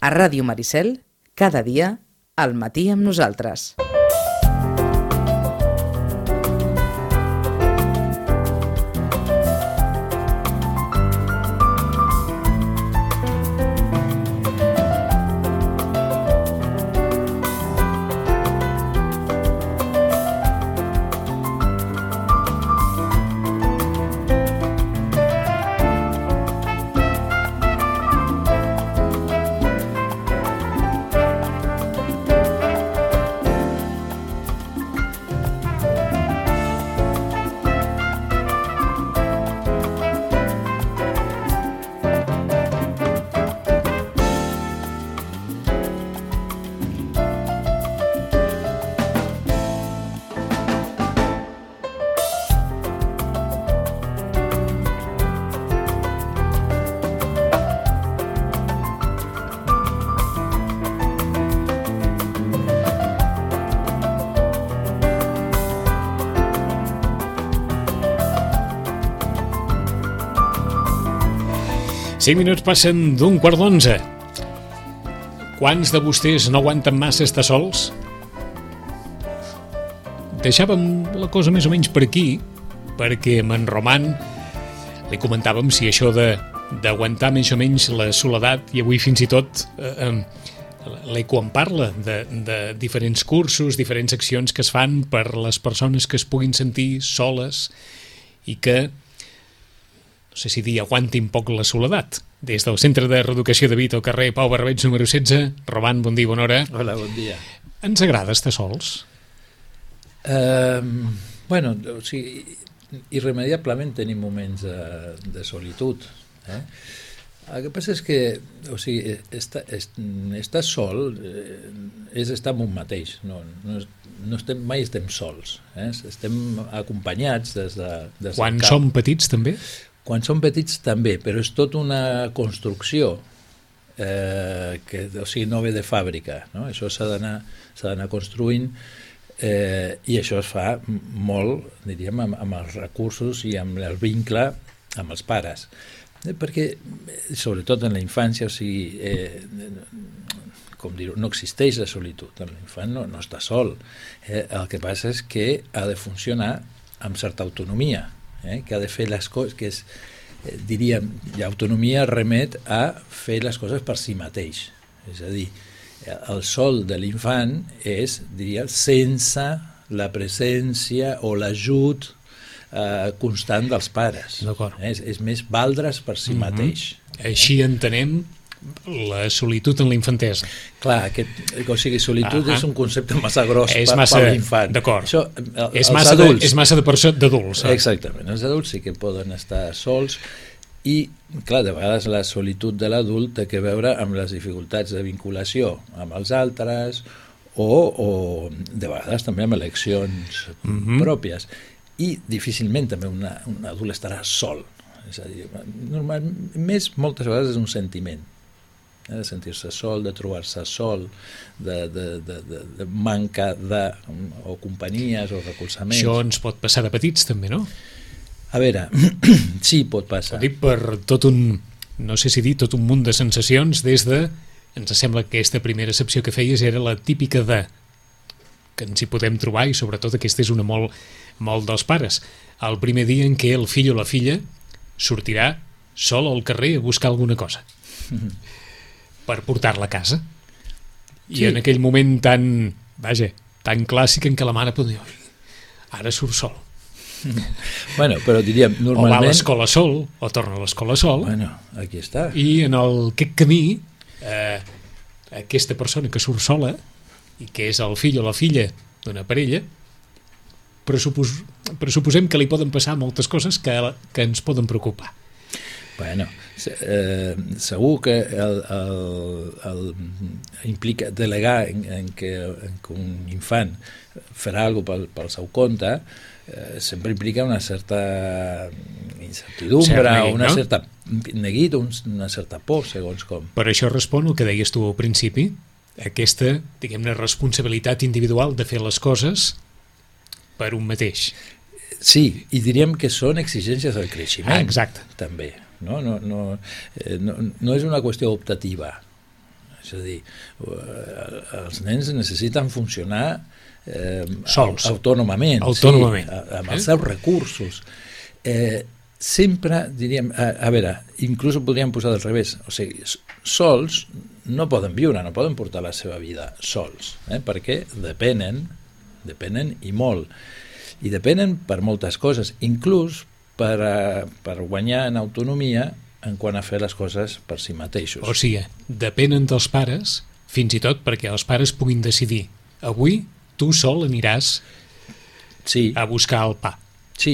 A Ràdio Maricel, cada dia, al matí amb nosaltres. Cinc minuts passen d'un quart d'11. Quants de vostès no aguanten massa estar sols? Deixàvem la cosa més o menys per aquí, perquè amb en Roman li comentàvem si això d'aguantar més o menys la soledat, i avui fins i tot l'Eco en parla de diferents cursos, diferents accions que es fan per les persones que es puguin sentir soles i que, no sé si dir, aguantin poc la soledat. Des del Centre de Reeducació de Vita al carrer Pau Barbeig número 16. Roman, bon dia, bona hora. Hola, bon dia. Ens agrada estar sols? Bueno, o sigui, irremediablement tenim moments de solitud. El que passa és que, o sigui, estar sol és estar amb un mateix. Mai estem sols. Estem acompanyats des de Quan som petits, també? Quan som petits també, però és tot una construcció que, o sigui, no ve de fàbrica, no? Això s'ha d'anar construint i això es fa molt, diríem, amb els recursos i amb el vincle amb els pares. Perquè, sobretot en la infància, o sigui, com dir-ho, no existeix la solitud. L'infant no està sol. El que passa és que ha de funcionar amb certa autonomia, que ha de fer les coses, que és, diríem, l'autonomia remet a fer les coses per si mateix. És a dir, el sol de l'infant és, diria, sense la presència o l'ajut constant dels pares. És més valdre's per si mateix. Així entenem la solitud en la infantesa. Clar, o sigui, solitud és un concepte massa gros per l'infant. D'acord. És massa d'adults. Exactament. Els adults sí que poden estar sols i, clar, de vegades la solitud de l'adult té a veure amb les dificultats de vinculació amb els altres o de vegades també amb eleccions pròpies. I difícilment també un adult estarà sol. És a dir, moltes vegades és un sentiment. De sentir-se sol, de trobar-se sol, de manca de o companyies o recolzaments. Això ens pot passar de petits també, no? A veure, sí, pot passar. Ho dic per tot un, no sé si dir, tot un munt de sensacions des de, ens sembla que aquesta primera excepció que feies era la típica de que ens hi podem trobar, i sobretot aquesta és una molt dels pares. El primer dia en què el fill o la filla sortirà sol al carrer a buscar alguna cosa per portar-la a casa. I en aquell moment tan clàssic en què la mare pot dir ara surt sol. Bueno, però diríem, normalment... O va a l'escola sol, o torna a l'escola sol. Bueno, aquí està. I en aquest camí, aquesta persona que surt sola, i que és el fill o la filla d'una parella, pressuposem que li poden passar moltes coses que ens poden preocupar. Bueno, segur que implica delegar en que un infant farà alguna cosa pel seu compte, sempre implica una certa incertidumbre, una certa neguit, una certa por, segons com. Per això respon el que deies tu al principi, aquesta, diguem-ne, responsabilitat individual de fer les coses per un mateix. Sí, i diríem que són exigències del creixement. Exacte. També. No és una qüestió optativa. És a dir, els nens necessiten funcionar sols, autònomament, autònomament. Sí, amb els seus recursos. Sempre, diríem, a veure, inclús ho podríem posar del revés, o sigui, sols no poden viure, no poden portar la seva vida sols, perquè depenen i molt, i depenen per moltes coses, inclús per guanyar en autonomia en quant a fer les coses per si mateixos. O sigui, depenen dels pares, fins i tot perquè els pares puguin decidir, avui tu sol aniràs a buscar el pa,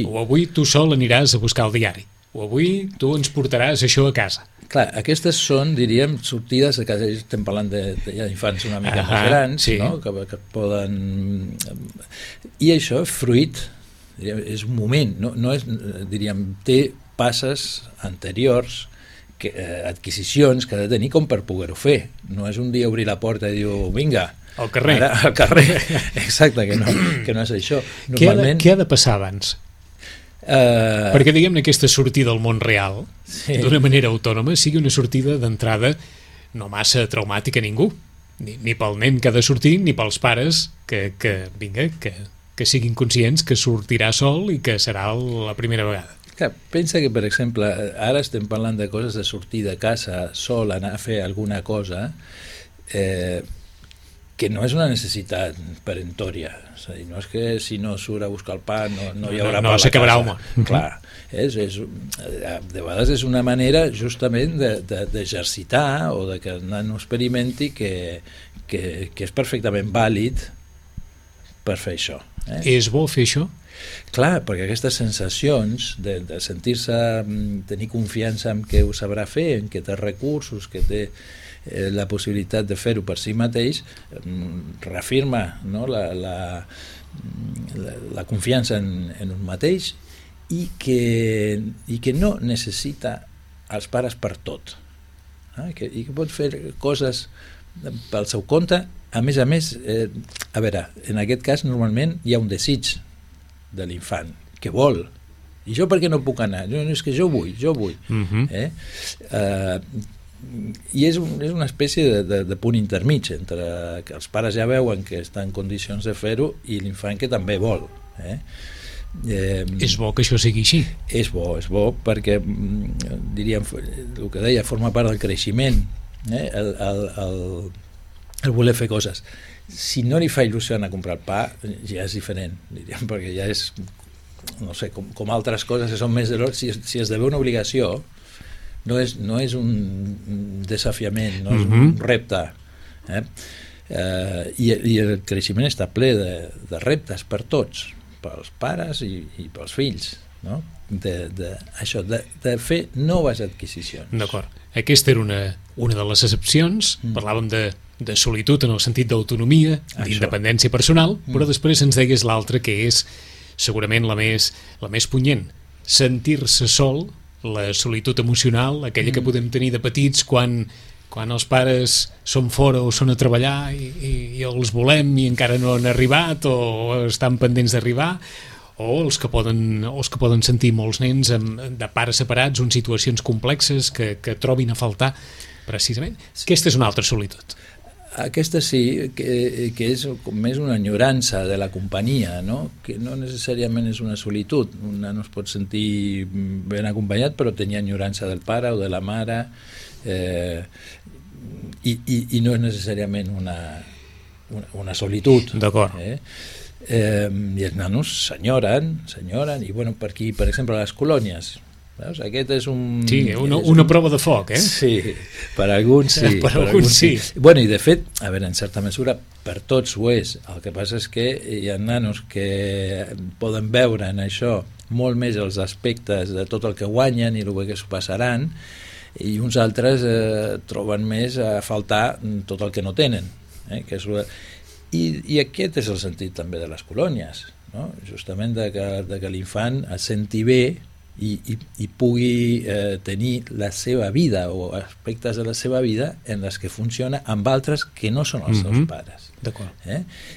o avui tu sol aniràs a buscar el diari, o avui tu ens portaràs això a casa. Clar, aquestes són, diríem, sortides, que estem parlant d'infants una mica més grans, no? que poden... I això, fruit, diríem, és un moment, no és, diríem, té passes anteriors, adquisicions que ha de tenir com per poder-ho fer. No és un dia obrir la porta i dir, vinga, al carrer. Al carrer, exacte, que no és això. Normalment... Què ha de passar abans? Perquè, diguem-ne, aquesta sortida al món real, d'una manera autònoma, sigui una sortida d'entrada no massa traumàtica a ningú, ni pel nen que ha de sortir, ni pels pares que siguin conscients que sortirà sol i que serà la primera vegada. Clar, pensa que, per exemple, ara estem parlant de coses de sortir de casa sol, anar a fer alguna cosa, que no és una necessitat perentòria. És a dir, no és que si no surt a buscar el pa no hi haurà pa a la s'acabarà, casa. Home. Clar, de vegades és una manera justament d'exercitar o de que el nano experimenti que és perfectament vàlid per fer això. És bo fer això? Clar, perquè aquestes sensacions de sentir-se, tenir confiança en què ho sabrà fer, en què té recursos, que té la possibilitat de fer-ho per si mateix, reafirma, no? la confiança en un mateix i que no necessita els pares per tot, i que pot fer coses pel seu compte. A més, a veure, en aquest cas normalment hi ha un desig de l'infant, que vol. I jo per què no puc anar? És que jo vull. I és una espècie de punt intermig entre que els pares ja veuen que està en condicions de fer-ho i l'infant que també vol. És bo que això sigui així? És bo perquè, diríem, el que deia, forma part del creixement, el voler fer coses. Si no li fa il·lusió anar a comprar el pa, ja és diferent, diríem, perquè ja és, no sé, com altres coses que són més de l'hora. Si esdevé una obligació, no és un desafiament, no és un repte. I el creixement està ple de reptes per tots, pels pares i pels fills, no? Això, de fer noves adquisicions. D'acord. Aquesta era una de les excepcions. Parlàvem de solitud en el sentit d'autonomia, d'independència personal, però després ens deies l'altra, que és segurament la més punyent. Sentir-se sol, la solitud emocional, aquella que podem tenir de petits quan els pares són fora o són a treballar i els volem i encara no han arribat o estan pendents d'arribar, o els que poden sentir molts nens de pares separats o en situacions complexes que trobin a faltar, precisament. Aquesta és una altra solitud. Aquesta sí, que és més una enyorança de la companyia, no? Que no necessàriament és una solitud. Un nano es pot sentir ben acompanyat, però tenir enyorança del pare o de la mare, i no és necessàriament una solitud. D'acord. I els nanos s'enyoren, i bueno, per aquí, per exemple, a les colònies, veus? Aquest és un... Sí, una prova de foc, Sí, per alguns sí. Per alguns sí. Bueno, i de fet, a veure, en certa mesura, per tots ho és. El que passa és que hi ha nanos que poden veure en això molt més els aspectes de tot el que guanyen i el que s'ho passaran, i uns altres troben més a faltar tot el que no tenen. Que és... I aquest és el sentit també de les colònies, no? Justament de que l'infant es senti bé i pugui tenir la seva vida o aspectes de la seva vida en les que funciona amb altres que no són els seus pares. D'acord.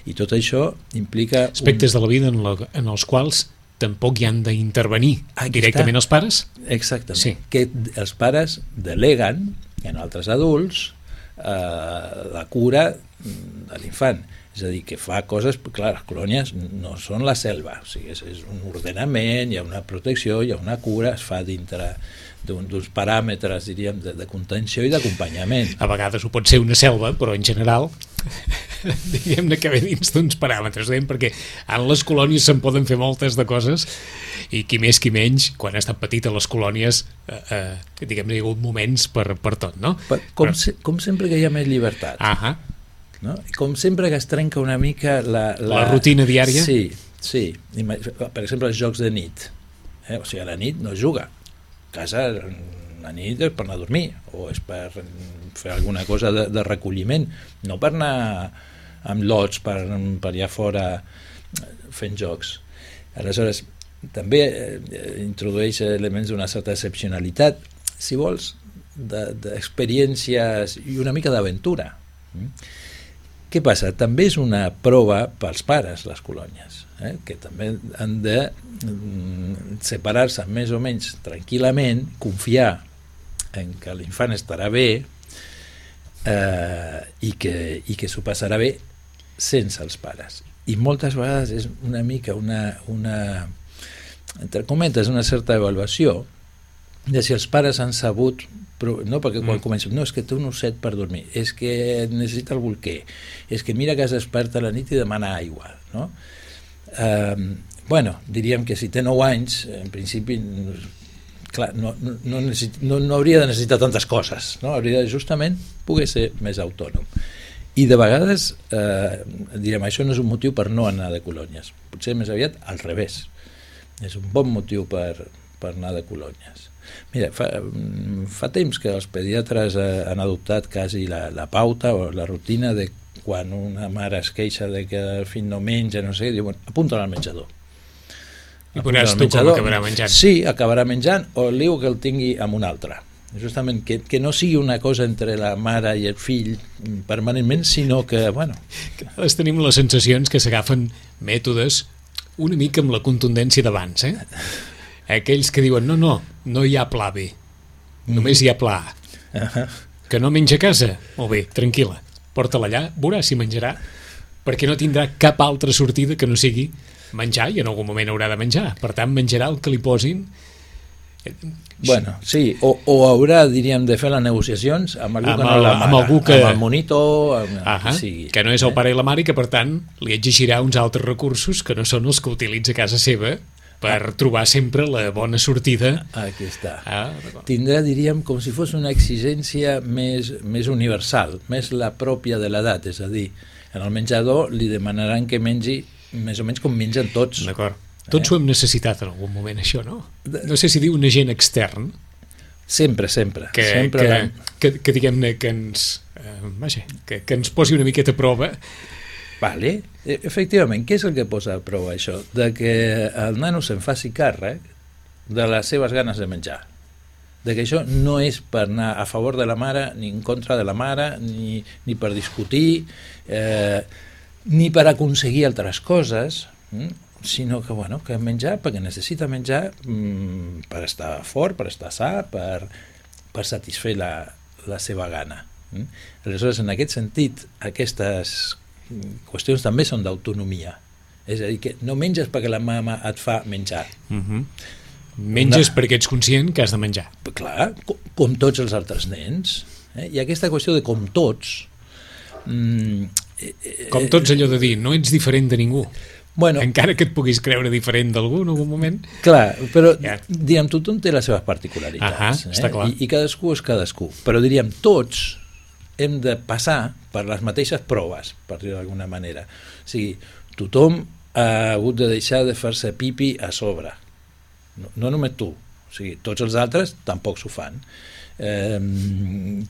I tot això implica... Aspectes de la vida en els quals tampoc hi han d'intervenir directament els pares? Exactament. Sí. Que els pares deleguen en altres adults la cura de l'infant. És a dir, que fa coses... Clar, les colònies no són la selva, o sigui, és un ordenament, hi ha una protecció, hi ha una cura, es fa dintre d'uns paràmetres, diríem, de contenció i d'acompanyament. A vegades ho pot ser una selva, però en general diguem-ne que ve dins d'uns paràmetres, perquè en les colònies se'n poden fer moltes de coses i qui més qui menys, quan ha estat petit a les colònies, diguem-ne, hi ha hagut moments per tot, no? Com sempre que hi ha més llibertat. No? Com sempre que es trenca una mica la rutina diària. Sí. Per exemple, els jocs de nit. O sigui, a la nit no es juga. A casa, la nit és per anar a dormir, o és per fer alguna cosa de recolliment, no per anar amb lots per allà fora fent jocs. Aleshores, també introdueix elements d'una certa excepcionalitat, si vols, d'experiències i una mica d'aventura. Què passa? També és una prova pels pares, les colònies, que també han de separar-se més o menys tranquil·lament, confiar en que l'infant estarà bé i que s'ho passarà bé sense els pares. I moltes vegades és una mica una entre cometes, una certa avaluació de si els pares han sabut, no, perquè quan comencem, no, és que té un osset per dormir, és que necessita el bolquer, és que mira que es desperta a la nit i demana aigua, no? Bueno, diríem que si té 9 anys, en principi, clar, no hauria de necessitar tantes coses, no? Hauria de justament poder ser més autònom. I de vegades, diríem, això no és un motiu per no anar de colònies, potser més aviat al revés, és un bon motiu per anar de colònies. Mira, fa temps que els pediatres han adoptat quasi la pauta o la rutina de quan una mare es queixa de que el fill no menja, no sé, diuen, apunta-lo al menjador. I veuràs tu com acabarà menjant. Sí, acabarà menjant, o liu que el tingui amb un altre. Justament, que no sigui una cosa entre la mare i el fill permanentment, sinó que, bueno... Cada vegada tenim les sensacions que s'agafen mètodes una mica amb la contundència d'abans, aquells que diuen, no hi ha pla B, només hi ha pla A. Que no menja a casa? Molt bé, tranquil·la, porta-la allà, veuràs si menjarà, perquè no tindrà cap altra sortida que no sigui menjar, i en algun moment haurà de menjar, per tant menjarà el que li posin. Bueno, sí, o haurà, diríem, de fer les negociacions amb algú que no la mare, amb el monitor, que no és el pare i la mare, i que per tant li exigirà uns altres recursos que no són els que utilitza a casa seva per trobar sempre la bona sortida. Aquí està. Tindrà, diríem, com si fos una exigència més universal, més la pròpia de l'edat, és a dir, en el menjador li demanaran que mengi més o menys com mengen tots. D'acord. Tots ho hem necessitat en algun moment, això, no? No sé si diu un agent extern. Sempre. Que diguem-ne que ens posi una miqueta a prova. Vale. Efectivament, què és el que posa a prova això? De que el nano se'n faci càrrec de les seves ganes de menjar. De que això no és per anar a favor de la mare, ni en contra de la mare, ni per discutir, ni per aconseguir altres coses, sinó que, bueno, que menjar perquè necessita menjar per estar fort, per estar sa, per satisfer la seva gana. Aleshores, en aquest sentit, aquestes qüestions també són d'autonomia. És a dir, que no menges perquè la mama et fa menjar. Menges perquè ets conscient que has de menjar. Clar, com tots els altres nens. I aquesta qüestió de com tots... Com tots, allò de dir, no ets diferent de ningú. Bueno, encara que et puguis creure diferent d'algú en algun moment. Clar, però diguem, tothom té les seves particularitats. Està clar. I cadascú és cadascú. Però diríem, tots hem de passar per les mateixes proves, per dir-ho d'alguna manera. O sigui, tothom ha hagut de deixar de fer-se pipi a sobre. No només tu. O sigui, tots els altres tampoc s'ho fan.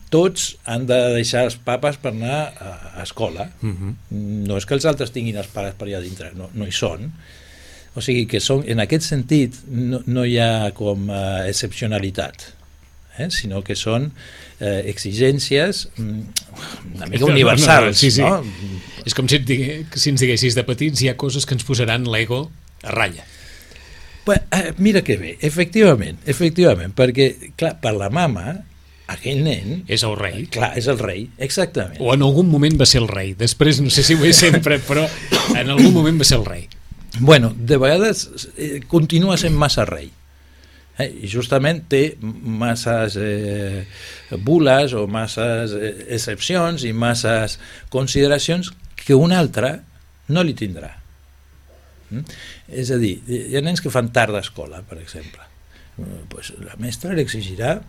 Tots han de deixar els papes per anar a escola. No és que els altres tinguin els pares per allà dintre, no hi són. O sigui que en aquest sentit no hi ha com excepcionalitat, sinó que són exigències una mica universals. Sí. No? És com si ens diguessis de petits hi ha coses que ens posaran l'ego a ratlla. Mira que bé, efectivament, perquè, clar, per la mama aquell nen... És el rei. Clar, és el rei, exactament. O en algun moment va ser el rei. Després no sé si ho és sempre, però en algun moment va ser el rei. Bueno, de vegades continua sent massa rei. I justament té masses bules o masses excepcions i masses consideracions que un altre no li tindrà. És a dir, hi ha nens que fan tard d'escola, per exemple. Pues la mestra li exigirà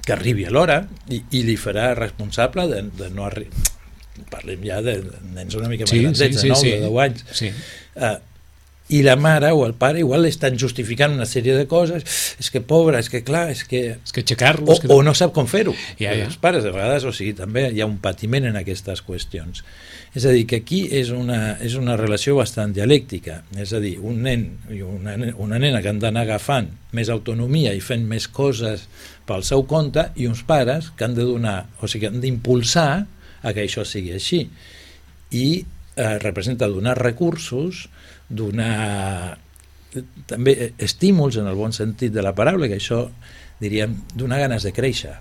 que arribi a l'hora i li farà responsable de no arribar. Parlem ja de nens una mica més grandets, de 9 o 10 anys. Sí. I la mare o el pare igual estan justificant una sèrie de coses, és que pobre, és que clar, és que aixecar-lo... O no sap com fer-ho. Ja. Els pares de vegades, o sigui, també hi ha un patiment en aquestes qüestions. És a dir, que aquí és una relació bastant dialèctica, és a dir, un nen i una nena que han d'anar agafant més autonomia i fent més coses pel seu compte, i uns pares que han de donar, o sigui, han d'impulsar a que això sigui així. I representa donar recursos, donar també estímuls en el bon sentit de la paraula, que això diríem donar ganes de créixer.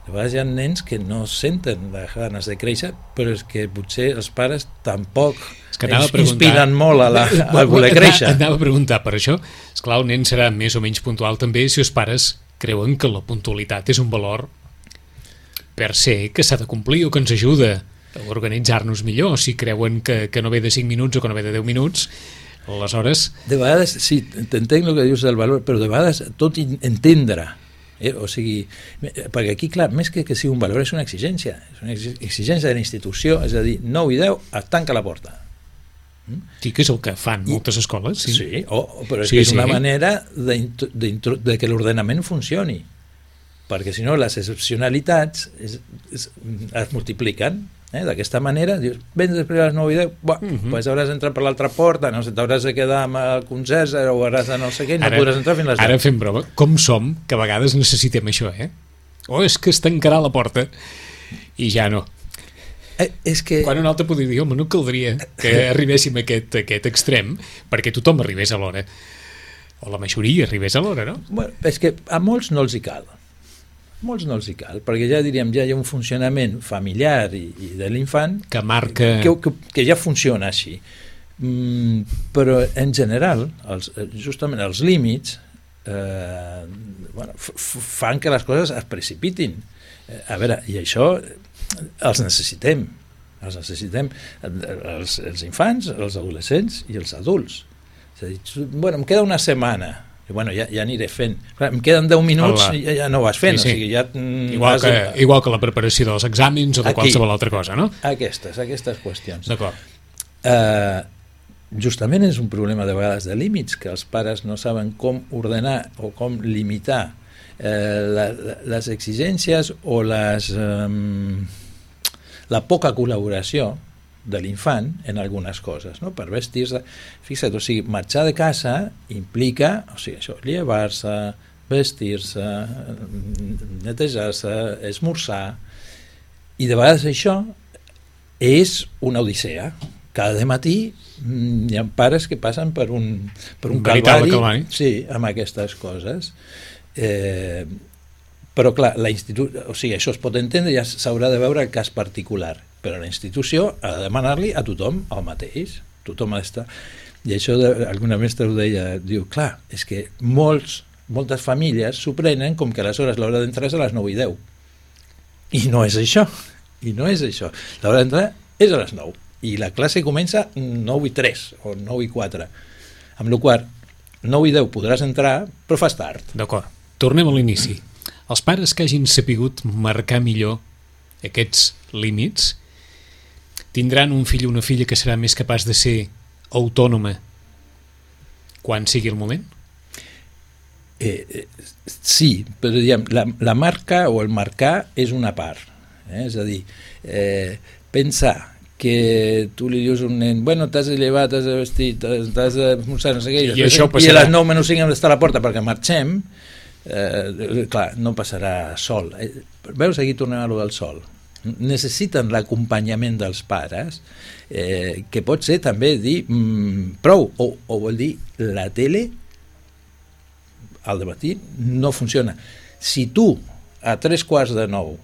De vegades hi ha nens que no senten les ganes de créixer, però és que potser els pares tampoc inspiren molt a voler créixer. Anava a preguntar per això. Esclar, el nen serà més o menys puntual també si els pares creuen que la puntualitat és un valor per se que s'ha de complir o que ens ajuda a organitzar-nos millor. Si creuen que no ve de 5 minuts o que no ve de 10 minuts, aleshores... De vegades, sí, t'entenc el que dius del valor, però de vegades tot entendre, o sigui, perquè aquí, clar, més que sigui un valor, és una exigència de la institució, és a dir, 9 i 10, es tanca la porta. Sí, que és el que fan moltes escoles. Sí, però és una manera de que l'ordenament funcioni, perquè si no les excepcionalitats es multipliquen. D'aquesta manera, dius, vens després a les 9 i 10, doncs hauràs d'entrar per l'altra porta, no sé, t'hauràs de quedar amb el conserge o hauràs de no sé què, no podràs entrar fins a les 10. Ara fem broma, com som, que a vegades necessitem això, és que es tancarà la porta i ja no. És que... Quan un altre podria dir, home, no caldria que arribéssim a aquest extrem, perquè tothom arribés a l'hora, o la majoria arribés a l'hora, no? Bueno, és que a molts no els hi cal. Molts no els hi cal, perquè ja diríem, ja hi ha un funcionament familiar i de l'infant que marca... que ja funciona així. Però en general, justament els límits fan que les coses es precipitin. A veure, i això els necessitem. Els infants, els adolescents i els adults. És a dir, bueno, em queda una setmana, bueno, ja aniré fent. Clar, em queden 10 minuts i ja no ho vas fent. Sí. O sigui, ja, igual que la preparació dels exàmens o de qualsevol altra cosa, no? Aquestes qüestions. D'acord. Justament és un problema de vegades de límits, que els pares no saben com ordenar o com limitar les exigències o la poca col·laboració de l'infant en algunes coses, no? Per vestir-se, fixa't, o sigui, marxar de casa implica, o sigui, això, llevar-se, vestir-se, netejar-se, esmorzar, i de vegades això és una odissea. Cada matí hi ha pares que passen per un calvari, sí, amb aquestes coses. Però clar, o sigui, això es pot entendre, ja s'haurà de veure el cas particular, però la institució ha de demanar-li a tothom el mateix, tothom ha d'estar. I això alguna mestra ho deia, diu, clar, és que moltes famílies s'ho prenen com que aleshores l'hora d'entrar és a les 9 i 10. I no és això, l'hora d'entrar és a les 9, i la classe comença 9 i 3 o 9 i 4, amb la qual 9 i 10 podràs entrar, però fas tard. D'acord, tornem a l'inici. Els pares que hagin sapigut marcar millor aquests límits tindran un fill o una filla que serà més capaç de ser autònoma quan sigui el moment? Sí, però diguem, la marca o el marcar és una part. És a dir, pensar que tu li dius a un nen, bueno, t'has de llevar, t'has de vestir, t'has de esmorzar, no sé què, i a les 9 menys 5 hem d'estar a la porta perquè marxem, clar, no passarà sol. Veus, aquí tornem a lo del sol. Necessiten l'acompanyament dels pares, que pot ser també dir prou, o vol dir la tele al dematí no funciona. Si tu a 8:45,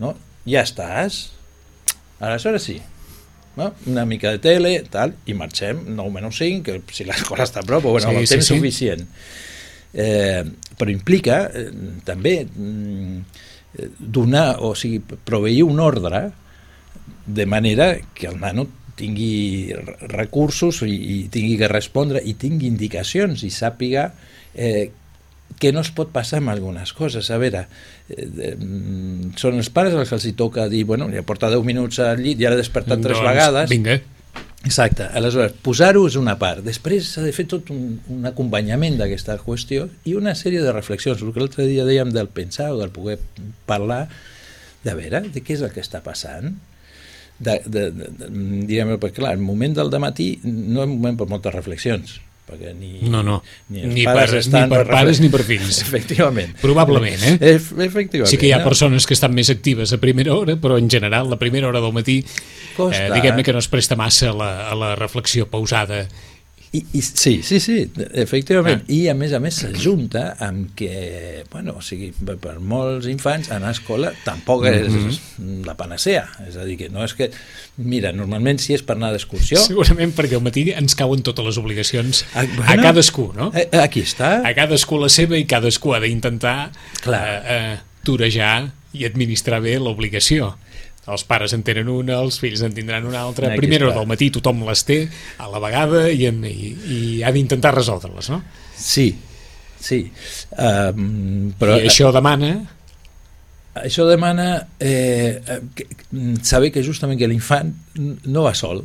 no? Ja estàs. Aleshores sí, no? Una mica de tele, tal, i marxem 9:05, que si l'escola està a prop, bueno, el temps suficient. Però implica també donar, o sigui, proveir un ordre de manera que el nano tingui recursos i tingui que respondre i tingui indicacions i sàpiga que no es pot passar amb algunes coses. A veure, són els pares els que els hi toca dir, bueno, ja porta 10 minuts al llit, ja l'ha despertat 3 vegades. Vinga. Exacte, aleshores, posar-ho és una part. Després s'ha de fer tot un acompanyament d'aquesta qüestió i una sèrie de reflexions. El que l'altre dia dèiem del pensar o del poder parlar, de veure, de què és el que està passant. Diguem, perquè clar, el moment del dematí no és un moment per moltes reflexions, perquè ni per pares ni per fills. Efectivament. Probablement, Efectivament. Sí que hi ha persones que estan més actives a primera hora, però en general la primera hora del matí diguem-ne que no es presta massa a la reflexió pausada. Sí, efectivament. I a més s'ajunta amb que, bueno, o sigui, per molts infants anar a escola tampoc és la panacea. És a dir, que no és que... Mira, normalment si és per anar d'excursió... Segurament perquè al matí ens cauen totes les obligacions a cadascú, no? Aquí està. A cadascú la seva i cadascú ha d'intentar torejar i administrar bé l'obligació. Els pares en tenen una, els fills en tindran una altra. A primera hora del matí tothom les té a la vegada i ha d'intentar resoldre-les, no? Sí. Però i això demana... Això demana saber que justament que l'infant no va sol.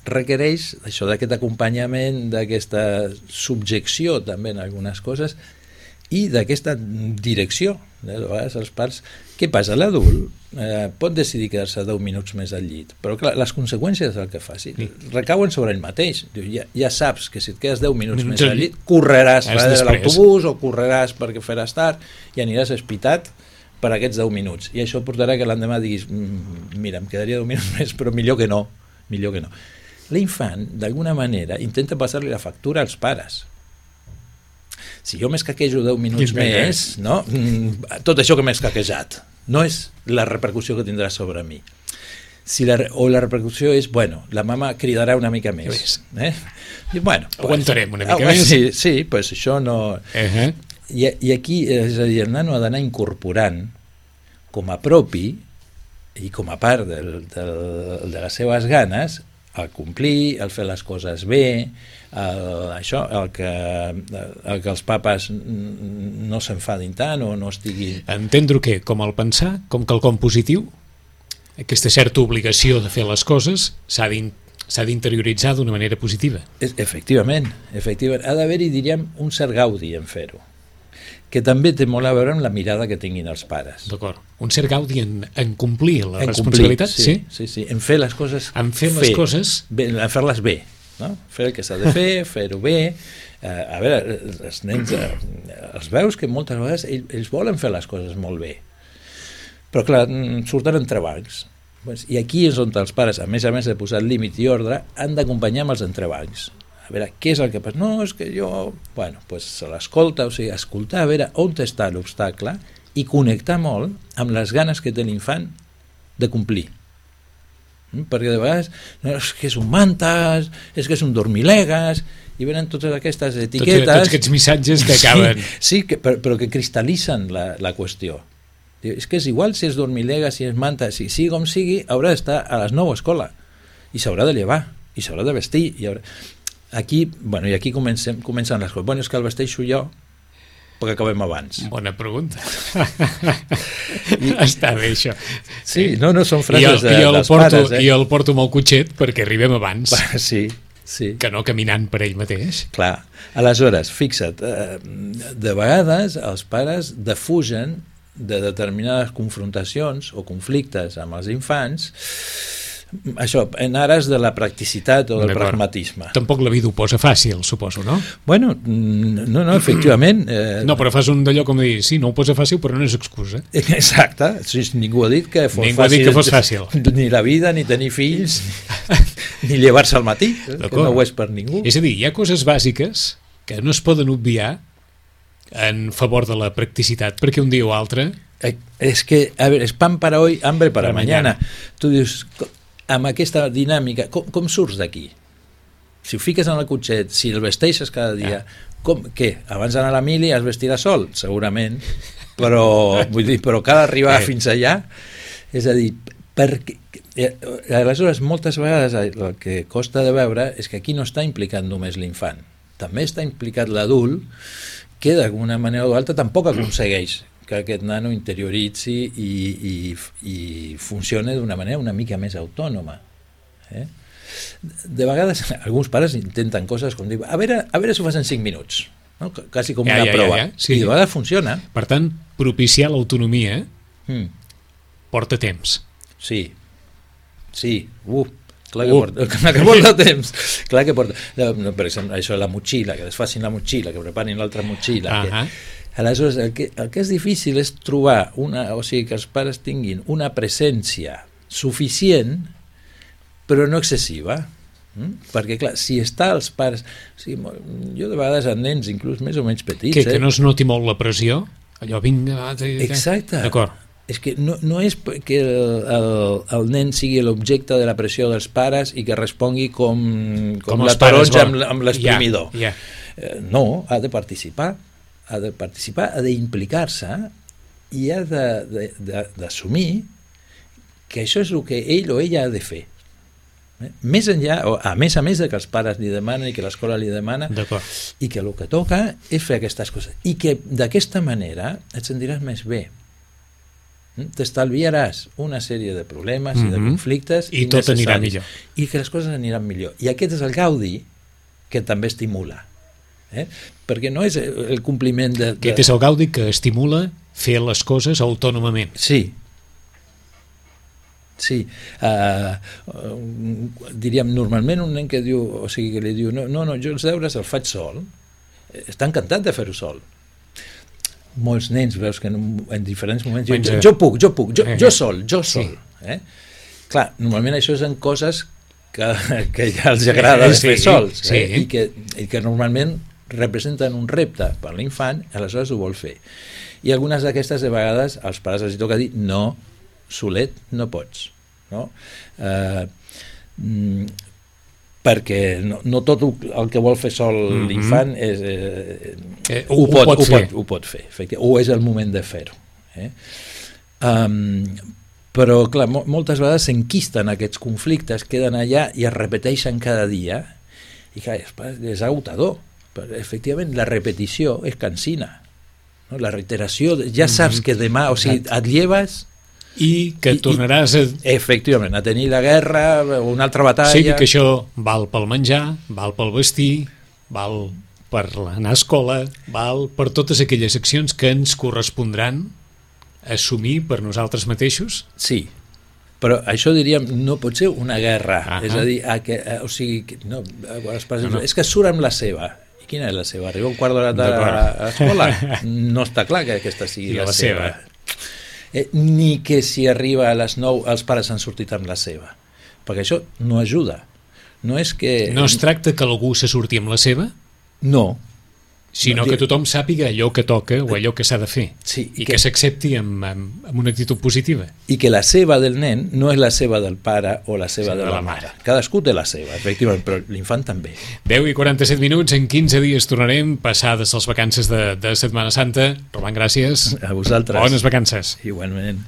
Requereix això d'aquest acompanyament, d'aquesta subjecció també en algunes coses i d'aquesta direcció. De vegades els pares... Què passa? L'adult pot decidir quedar-se 10 minuts més al llit, però clar, les conseqüències del que faci recauen sobre ell mateix. Ja saps que si et quedes 10 minuts més al llit correràs darrere l'autobús o correràs perquè faràs tard i aniràs espitat per aquests 10 minuts. I això portarà que l'endemà diguis mira, em quedaria 10 minuts més, però millor que no. L'infant, d'alguna manera, intenta passar-li la factura als pares. Si jo m'escaquejo 10 minuts més, no? Tot això que m'he escaquejat no és la repercussió que tindrà sobre mi. O la repercussió és, bueno, la mama cridarà una mica més. I, bueno, aguantarem una mica més. Sí, pues això no... I aquí, és a dir, el nano ha d'anar incorporant com a propi i com a part de les seves ganes el complir, el fer les coses bé, el que els papes no s'enfadin tant o no estiguin... Entendre què? Com el pensar? Com quelcom positiu? Aquesta certa obligació de fer les coses s'ha d'interioritzar d'una manera positiva. Efectivament. Ha d'haver-hi, diríem, un cert gaudi en fer-ho, que també té molt a veure amb la mirada que tinguin els pares. D'acord. Un cert gaudi en complir la responsabilitat? Sí. En fer les coses en fer-les bé, no? Fer el que s'ha de fer, fer-ho bé. A veure, els nens els veus que moltes vegades ells volen fer les coses molt bé, però clar, surten entrebancs. I aquí és on els pares, a més de posar límit i ordre, han d'acompanyar amb els entrebancs. A veure, què és el que passa? No, és que jo... Bueno, doncs se l'escolta, o sigui, escoltar, a veure on està l'obstacle i connectar molt amb les ganes que té l'infant de complir. Perquè de vegades és que és un mantes, és que és un dormilegues, i venen totes aquestes etiquetes... Tots aquests missatges que acaben... Sí, però que cristal·litzen la qüestió. És que és igual si és dormilega, si és manta, si sigui com sigui, haurà d'estar a les 9 a escola i s'haurà de llevar, i s'haurà de vestir, i aquí comencen les coses. Bueno, és que el vesteixo jo perquè acabem abans. Bona pregunta. Està bé, això. Sí, no són frases dels pares. I el porto amb el cotxet perquè arribem abans. Sí. Que no caminant per ell mateix. Clar. Aleshores, fixa't, de vegades els pares defugen de determinades confrontacions o conflictes amb els infants, això, en ares de la practicitat o del pragmatisme. Tampoc la vida ho posa fàcil, suposo, no? Bueno, no, efectivament... No, però fas un d'allò com dir, sí, no ho posa fàcil, però no és excusa. Exacte, ningú ha dit que fos fàcil. Ni la vida, ni tenir fills, ni llevar-se al matí, que no ho és per ningú. És a dir, hi ha coses bàsiques que no es poden obviar en favor de la practicitat, perquè un dia o altre És que, a veure, és pan para hoy, hambre para mañana. Tu dius, amb aquesta dinàmica, com surts d'aquí? Si ho fiques en el cotxet, si el vesteixes cada dia, què? Abans d'anar a la mili es vestirà sol? Segurament, però cal arribar fins allà. És a dir, perquè aleshores moltes vegades el que costa de veure és que aquí no està implicat només l'infant, també està implicat l'adult, que d'alguna manera o altra tampoc aconsegueix que aquest nano interioritzi i funcioni d'una manera una mica més autònoma. De vegades alguns pares intenten coses com dir, a veure si ho fas en 5 minuts, no? Quasi com una prova. Sí. I de vegades funciona. Per tant, propiciar l'autonomia porta temps. Sí. Clar que porta temps. Clar que porta. Per exemple, això de la motxilla, que desfacin la motxilla, que preparin l'altra motxilla. Aleshores, el que és difícil és trobar que els pares tinguin una presència suficient però no excessiva, perquè clar, si està els pares, jo de vegades amb nens inclús més o menys petits, que no es noti molt la pressió, allò vinga, exacte, d'acord. És que no és que el nen sigui l'objecte de la pressió dels pares i que respongui com la taronja amb l'exprimidor. No, ha de participar, ha d'implicar-se i ha d'assumir que això és el que ell o ella ha de fer. Més enllà, a més de que els pares li demanen i que l'escola li demana, i que el que toca és fer aquestes coses i que d'aquesta manera et sentiràs més bé, t'estalviaràs una sèrie de problemes i de conflictes i tot anirà millor i que les coses aniran millor, i aquest és el gaudi que també estimula, perquè no és el compliment aquest és el gaudi que estimula fer les coses autònomament. Sí, diríem, normalment un nen que diu, o sigui, que li diu no, jo els deures els faig sol, està encantat de fer-ho sol. Molts nens veus que en diferents moments jo puc, jo sol. Clar, normalment això són coses que ja els agrada fer sols, i que normalment representen un repte per l'infant, aleshores ho vol fer. I algunes d'aquestes de vegades als pares els toca dir no, solet no pots, no? Perquè no tot el que vol fer sol l'infant ho pot fer, o és el moment de fer-ho. Però clar, moltes vegades s'enquisten aquests conflictes, queden allà i es repeteixen cada dia, i clar, és agotador. Efectivament, la repetició és cansina, no? La reiteració, ja saps que demà, o sigui, et lleves i que tornaràs efectivament a tenir la guerra o una altra batalla. Sí, que això val pel menjar, val pel vestir, val per anar a escola, val per totes aquelles accions que ens correspondran assumir per nosaltres mateixos. Sí, però això diríem no pot ser una guerra, és a dir, o sigui, no, és que surt amb la seva. I quina és la seva? Arriba un quart d'hora a l'escola? No està clar que aquesta sigui la seva. Ni que si arriba a les 9 els pares han sortit amb la seva, perquè això no ajuda. No es tracta que algú se surti amb la seva? No. Sinó que tothom sàpiga allò que toca o allò que s'ha de fer, i que s'accepti amb una actitud positiva. I que la seva del nen no és la seva del pare o la seva de la mare. Cadascú té la seva, efectivament, però l'infant també. 10:47, en 15 dies tornarem, passades les vacances de Setmana Santa. Roman, gràcies. A vosaltres. Bones vacances. Igualment.